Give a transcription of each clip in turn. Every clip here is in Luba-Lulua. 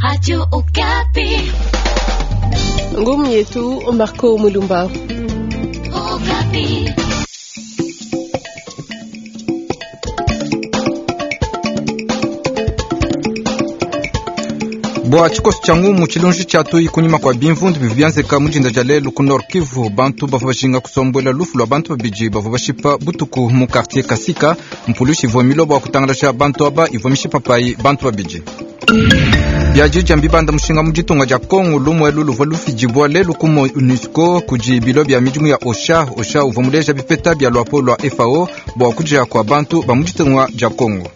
Radio Okapi. Ngumu yetu Marco Mulumba. Okapi. Bua tshikoso tshia ngumu tshilunji tshia tuyi kunyima kua bimvundu bivua bienzeka mu dinda dia lelu ku Nord Kivu, bantu bavua bajinga kusombuela lufu lua bantu babidi bavua bashipa butuku mu quartier Kasika. Mpulushi ivua milua bua kutangalasha bantu aba ivua mishipa payi bantu babidi. Biadidia mbibanda mushinga mu ditunga dia Kongo lumu elu luvua lufidibua lelu ku MONUSCO kudi bilo bia midimu ya OCHA. OCHA uvua muleja bipeta bia luapolo lua FAO bua kudia kua bantu ba mu ditunga dia Kongo.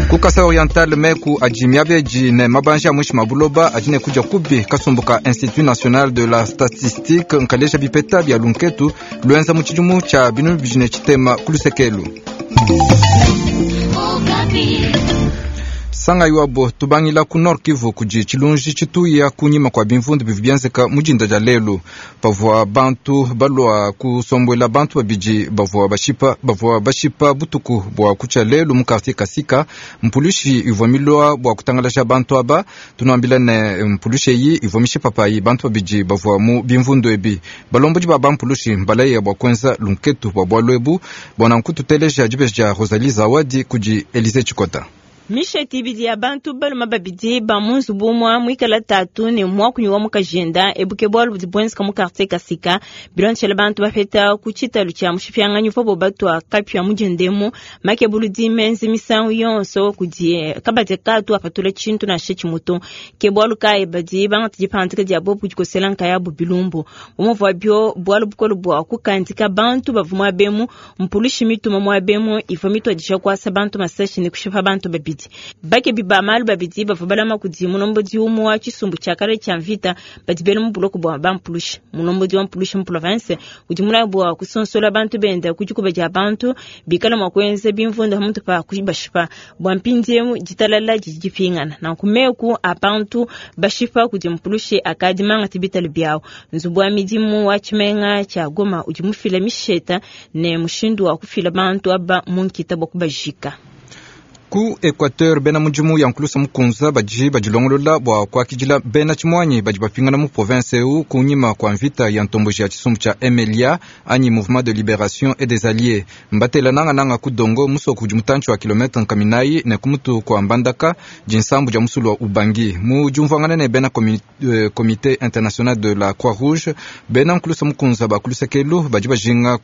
Ku Kasai Oriental meku adi miabedi ne mabanji a muinshi mua buloba adi ne kudia kubi. Kasumbu ka Institut National de la Statistique nkaleja bipeta bia lunketu luenza mu tshidimu tshia 2060 ku lusekelu. Sangayi wabo tubangila ku Nord Kivu kudi tshilunji tshituya kunyima kua bimvundu bivua bienzeka mu dinda dia lelu pavua bantu balua kusombuela bantu babidi bavua bashipa, bavua bashipa butuku bua kutshia lelu mu quartier Kasika. Mpulushi ivua milua bua kutangalasha bantu aba. Tunuambila ne mpulushi eyi ivua mishipa payi bantu babidi bavua mu bimvundu ebi. Balombodi ba bampulushi mbalaya bua kuenza lunketu bua bualu ebu. Bua nanku tuteleja dibeji dia Rosalie Zawadi kudi Elise Tshikota. Misheti ibidi ya bantu balume babidi ba mu nzubu umue muikala tatu ne muakunyi wa mukajenda ebuke bualu budi buenzeka mu quartier Kasika. Bilondeshele bantu bapeta ku tshitalu tshia mushipianganyi uvuabo batua kapia mu diendemu makebuludi menze misangu yonso kudi kabadi katu apatula tshintu nansha tshimutu. Ke bualu kayi badi bangata dipangadika dia bobu kudikosela nkayabu bilumbu. Bu muvuabio bualu bukole bua kukandika bantu bavua muabemu mpulushi mituma muabemu ivua mituadija kuasa bantu masashi ne kushipa bantu babidi. Bakebi ba malu babidi bavua balama kudi mulombodi umue wa tshisumbu tshia kale tshia mvita badi bela mu buloko bua bampulushi. Mulombodi wa mpulushi mu province udi mulaye bua kusonsola bantu benda ku dikuba dia bantu bikala mua kuenza bimvundu pamutu pa kubashipa. Bua mpindieu ditalala didi dipingana nanku meku a bantu bashipa kudi mpulushi akadi mangate bitalu biawu. Nzubu wa midimu wa tshimenga tshia Goma udi mufila misheta ne mushindu wa kufila bantu aba mu nkita bua kubajika. Ku Equateur bena mudimu ya nkulusa mukunza badi badilongolola bua kuakidila bena tshimuanyi badi bapingana mu province eu kunyima kua mvita ya ntomboji ya tshisumbu tshia MLA anyi Mouvement de Liberation et des Alliés. Mbatela nangananga ku Dongo musoko udi mutantshi wa kilometre nkaminayi ne ku mutu kua Mbandaka dinsambu dia musulu wa Ubangi. Mu diumvuangana ne bena Comité International de la Croix Rouge, bena nkulusa mukunza ba kuluseke badi bajinga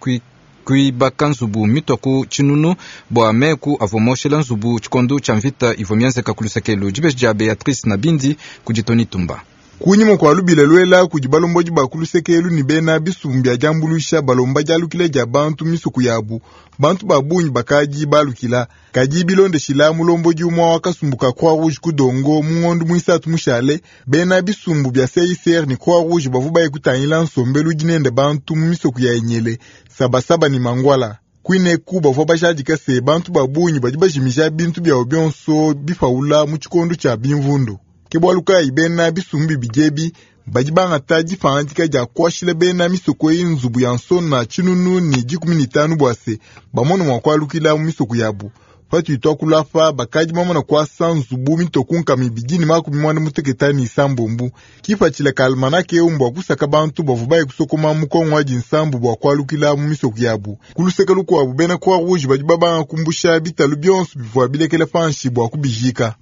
kuibaka nzubu mitua ku tshinunu bua meku avua moshela nzubu tshikondo tshia mvita ivua mienzeka ku lusekelu. Dibeji dia Beatrice Nabindi kudi Tony Tumba. Kunyima kua lubila luela kudi balombodi ba ku lusekelu ne bena bisumbu bia diambuluisha balomba dialukila dia bantu misuku yabu, bantu ba bungi bakadi balukila. Kadi bilondeshila mulombodi umue wa kasumbu ka Croix Rouge ku Dongo mu ngondo muisatu mushale, bena bisumbu bia CICR ne Croix Rouge bavua baye kutangila nsombelu udi nende bantu mu misoku ya Enyele, Sabasaba ne Mangwala. Kuineku bavua bajadika se bantu ba bungi badi bajimija bintu biabu bionso bipaula mu tshikondo tshia bimvundu. Ke bualu kayi bena bisumbu bibidi ebi badi bangata dipangadika dia kuashila bena misoko eyi nzubu ya nsona 1015 bua se bamone mua kualukila mu misoko yabu. Patudi tuakula apa bakadi bamana kuasa nzubu mitoku 296. Kipatshila ka almanake eu mbua kusaka bantu bavua baye kusokoma mu Kongo wa dinsambu bua kualukila mu misoko yabu. Ku luseke lukuabu bena Croix Rouge badi babanga kumbusha bitalu bionso bivua bilekela panshi bua kubijika.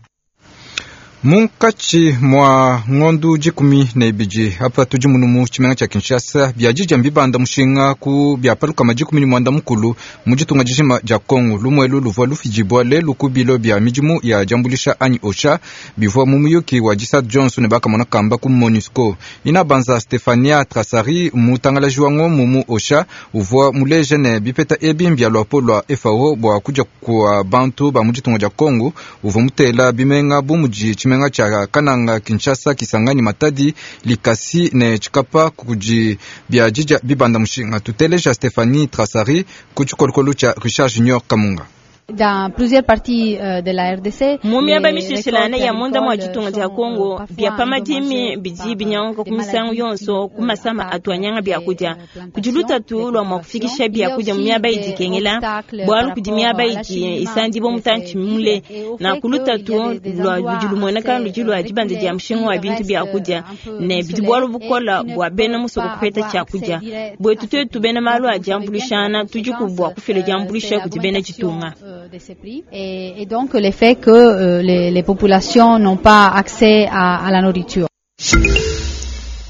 Munkatshi mua ngondu 12 apa tudi munu mu tshimenga tshia Kinshasa biadidia mbibanda mushinga ku bia palukama 15 mu ditunga dijima dia Kongo. Lumuelu luvua lufidibua lelu ku bilo bia midimu ya diambuluisha anyi OCHA bivua mu muyuki wa Disat Johnson ne bakamona kamba ku MONUSCO. Ina banza Stefania Trasari mutangalaji wa ngomu mu OCHA uvua muleja ne bipeta ebi mbia luapolo lua FAO bua kudia kua bantu ba mu ditunga dia Kongo. Uvua mutela bimenga bu mudi tshimenga tshia Kananga, Kinshasa, Kisangani, Matadi, Likasi ne Tshikapa kudi biadidia bibanda mushinga. Tuteleja Stephanie Trasari ku tshikolokolo tshia Richard Junior Kamunga. Dans plusieurs parties de la RDC, Mu miaba les mishilashilane récoltes ya munda mua agricoles ditunga dia sont, Kongo, parfois bia pa madimi endommagées bidi par, binyanguka ku des misangu maladies yonso qui, ku masama attaquent atu anyanga les, biakudia. Kudi plantations, lutatu les lua mua cultivations. kufikisha Il y a biakudia mu aussi miaba des idi ikengela, obstacles bualu par kudi rapport miaba à idi l'acheminement isandibua des mutantshi véhicules mule. et au fait Nanku qu'il y a lutatu des lua endroits ludi lumueneka assez, ludi lua dibanda reculés dia mushinga wa qui bintu restent, biakudia, un peu ne bidi isolés bualu et bukola qui ne bua bena peuvent musoko pas kupeta avoir accès tshiakudia. direct Buetu à ces tuetu prix. bena malu Donc, a vous savez bien que la diambuluishana tudi conséquence, bua kufila c'est diambuluisha kudi bena l'augmentation ditunga. de ces prix et donc le fait que les populations n'ont pas accès à la nourriture.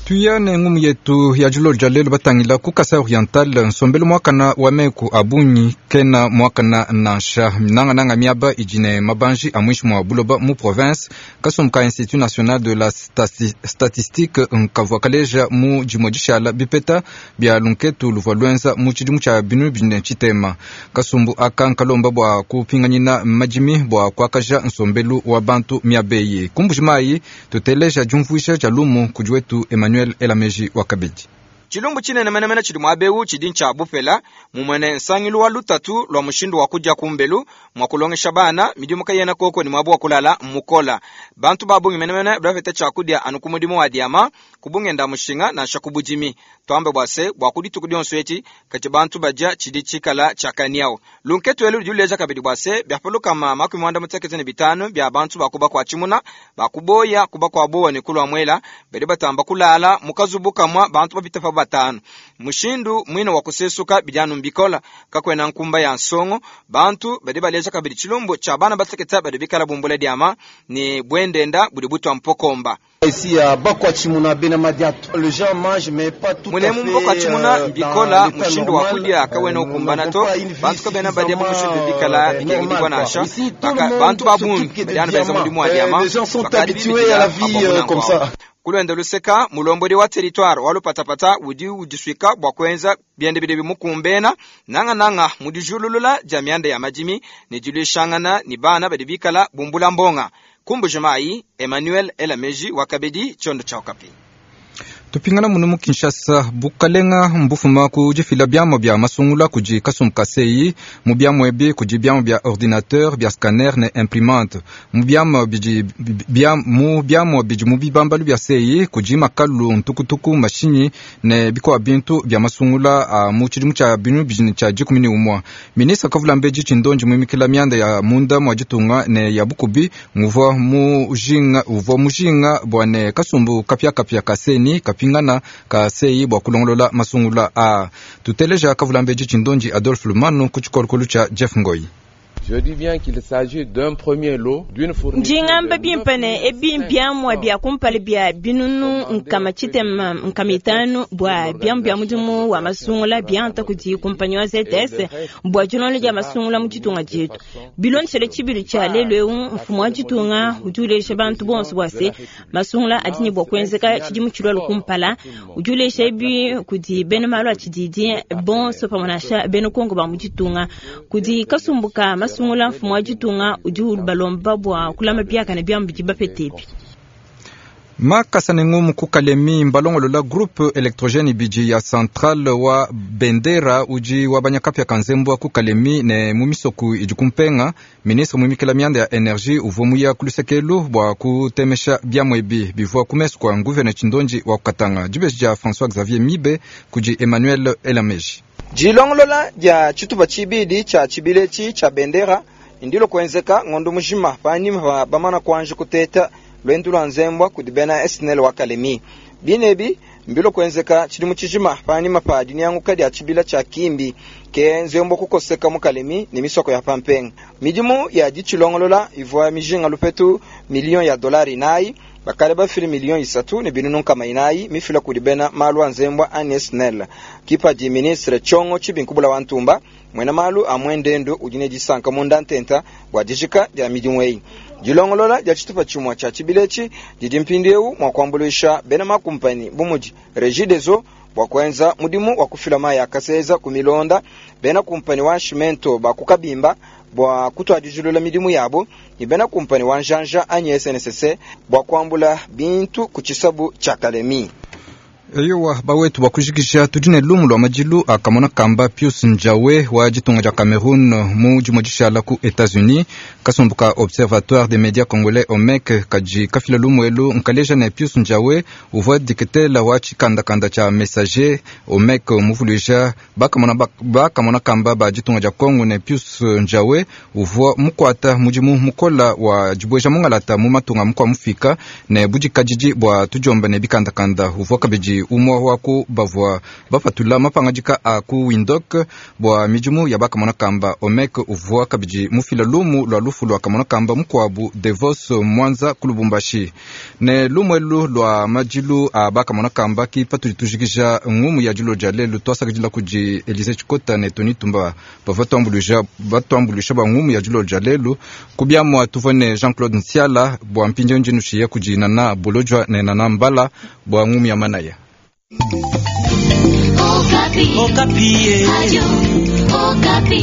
Tuya ne ngumu yetu ya dilolo dia lelu batangila ku Kasai Oriental nsombelu muakana wa meku a bungi kena muakana nansha nangananga miaba idi ne mabanji a muinshi mua buloba mu province. Kasumbu ka Institut National de la Statistique nkavua kaleja mu dimue dishala bipeta bia lunketu luvua luenza mu tshidimu tshia binu bine tshitema. Kasumbu aka nkalomba bua kupinganyina madimi bua kuakaja nsombelu wa bantu miaba eyi. Ku Mbuji-Mayi tuteleja diumvuija dia lumu kudi wetu Emmanuel Elameji wa Kabedi. Tshilumbu tshinene menemene tshidi muaba eu tshidi ntshia bupela, mumue nsangilu wa lutatu lua mushindu wa kudia kumbelu, mua kulongesha bana midimu kayena koko ne muaba wa kulala mukola. Bantu ba bungi menemene bapeta tshiakudia anu ku mudimu wa diama, ku bungenda mushinga nansha ku budimi. Tuambe bua se bua ku dituku dionso eti kadi bantu badia tshidi tshikala tshiakaniawu. Lunketu elu ludi luleja kabidi bua se biapalukama 55 bia bantu bakuba kwa tshimuna, bakuboya kuba kwa bowa ne kulua muela, badi batamba kulala mu kazubu kamwa bantu bapita pa batanu. Mushindu mwine wa kusesuka bijanu mbikola kakwena nkumba ya nsongo bantu badi baleja kabidi tshilumbu tshia bana bateketa badi bikala bumbula diama ne bwendenda budi butwa mpokomba. Ici à Bakwachimuna Bena Madiato, les gens mangent mais pas tout à Mulemu fait, Mbokwachimuna mbikola dans l'état mushindu wa normal. kudia kawena Nous ukumbana n'avons to pas une vie bantu kabena badia mu mushindu bikala suffisamment, bikengedibwa normale, nansha. quoi. Ici, tout le Baka monde bantu babungi s'occupe que de badi anu benza diamants. mudimu wa diama, Les gens sont bakadi habitués bibidila à la vie, abamuna comme nkwao. ça. Kulwenda luseka mulombodi wa territoire wa lupatapata udi udiswika bua kuenza biende bidi bimukumbena nangananga mudijululula dia mianda ya madimi ne diluishangana ni bana badi bikala bumbula mbonga. Ku Mbuji-Mayi, Emmanuel Elameji wa Kabedi, tshiondo tshia Okapi. Tupingana munu mu Kinshasa, bukalenga mbufuma ku difila biamua bia masungula kudi kasumbu ka CEI. Mu biamua ebi kudi biamua bia ordinateur, bia scanner ne imprimante. Mu biamua bidi, bia, mu biamua bidi mu bibambalu bia CEI kudi makalu, ntukutuku, mashinyi ne bikua bintu bia masungula a mu tshidimu tshia binu bidi tshia dikumi ne umua. Ministre Kavula Mbedi Tshindonji muimikila mianda ya munda mua ditunga ne ya bukubi nguvua mujinga, uvua mujinga bua ne kasumbu kapiakapia ka CENI kapingana ka CEI bua kulongolola masungula a. Tuteleja Kavula Mbedi Tshindonji Adolphe Lumanu ku tshikolokolo tshia Jeff Ngoi. Je dis bien qu'il s'agit d'un premier lot, d'une fourniture Njingamba de bimpe ne ebi mbiamua bia kumpala bia binunu nkama tshitema nkama itanu bua biamu bia mudimu wa masungula bianta kudi kumpanyi wa ZS bua dilonda dia masungula mu ditunga dietu. Bilondeshele tshibilu tshia lelu eu, mfumu wa ditunga udi uleja bantu bonso bua se masungula adi ne bua kuenzeka tshidimu tshilualua kumpala. Udi uleja ebi kudi bena malu a tshididi bonso pamue nansha bena Kongo ba mu ditunga. Kudi kasumbu ka masungula, mfumu wa ditunga udi ubalomba bua kulama biakane biamu bidi bapete ebi. Makasa ne ngumu ku Kalemi mbalongolola groupe électrogène ibidi ya centrale wa Bendera udi wa banyakapia ka nzembwa ku Kalemi ne mu misoku idi kumpenga. Ministre muimikila mianda ya energie uvua muya ku lusekelu bua kutemesha biamua ebi bivua ku mesu kua nguvene Tshindonji wa Katanga. Dibeji dia François Xavier Mibe kudi Emmanuel Elameji. Dilongolola dia tshitupa tshibidi tshia tshibiletshi tshia Bendera ndilo kuenzeka ngondo mujima panyima pa bamana kuanji kuteta lwendu lwa nzembwa kudi bena SNEL wa Kalemi. Binebi mbilo kuenzeka tshidimu tshijima panyima pa dinyanguka dia tshibila tshia Kimbi ke nzembwa kukoseka mu Kalemi ne misoko ya pampenga. Midimu ya ditshilongolola ivua mijinga lupetu miliyon ya dolari nayi bakale bafile miliyon isatu ne binunu nkama inayi mifila kudi bena malu a nzembwa ani SNEL. Kipa di ministre Tshongo Tshibinkubula wa Ntumba mwena malu a mwendendu udi ne disanka munda ntenta bua dijika dia midimu eyi. Dilongolola dia tshitupa tshimue tshia tshibiletshi didi mpindieu mua kuambuluisha bena makumpani bu mudi Regideso bua kuenza mudimu wa kufila mayi a kaseza ku milonda, bena kumpani wa Nshimento ba ku Kabimba bua kutuadijilula midimu yabo, ne bena kumpani wa Njanja anyi SNCC bua kuambula bintu ku tshisabu tshia Kalemi. Eyowa, bawetu bua kujikija tudi ne lumu lua madilu a kamona kamba Pius Njawe wa ditunga dia Cameroun mu dimue dishala ku Etats-Unis. Kasumbu ka Observatoire des médias congolais OMEC kadi kafila lumu elu nkaleja ne Pius Njawe uvua diketela wa tshikandakanda tshia Messager. OMEC muvuluija bakamona bakamona kamba ba ditunga dia Congo ne Pius Njawe uvua mukuata mudimu mukola wa dibueja mungalata mu matunga mukua mufika ne budikadidi bua tudiomba ne bikandakanda. Uvua kabidi umua wa ku bavua bapatula mapangadika a ku Windhoek bua midimu ya bakamona kamba. OMEC uvua kabidi mufila lumu lua lufu lua kamona kamba mukuabu Devos Mwanza ku Lubumbashi. Ne lumu elu lua madilu a bakamona kamba ki patudi tujikija ngumu ya dilo dia lelu. Tuasakidila kudi Elise Tshikota ne Tony Tumba bavua batuambuluisha bua ngumu ya dilo dia lelu. Ku biamua tuvua ne Jean-Claude Nsiala bua mpindieu ndi nushiya kudi Nana Bolojwa ne Nana Mbala bua ngumu ya manaya. Okapi. Okapi. Radio Okapi.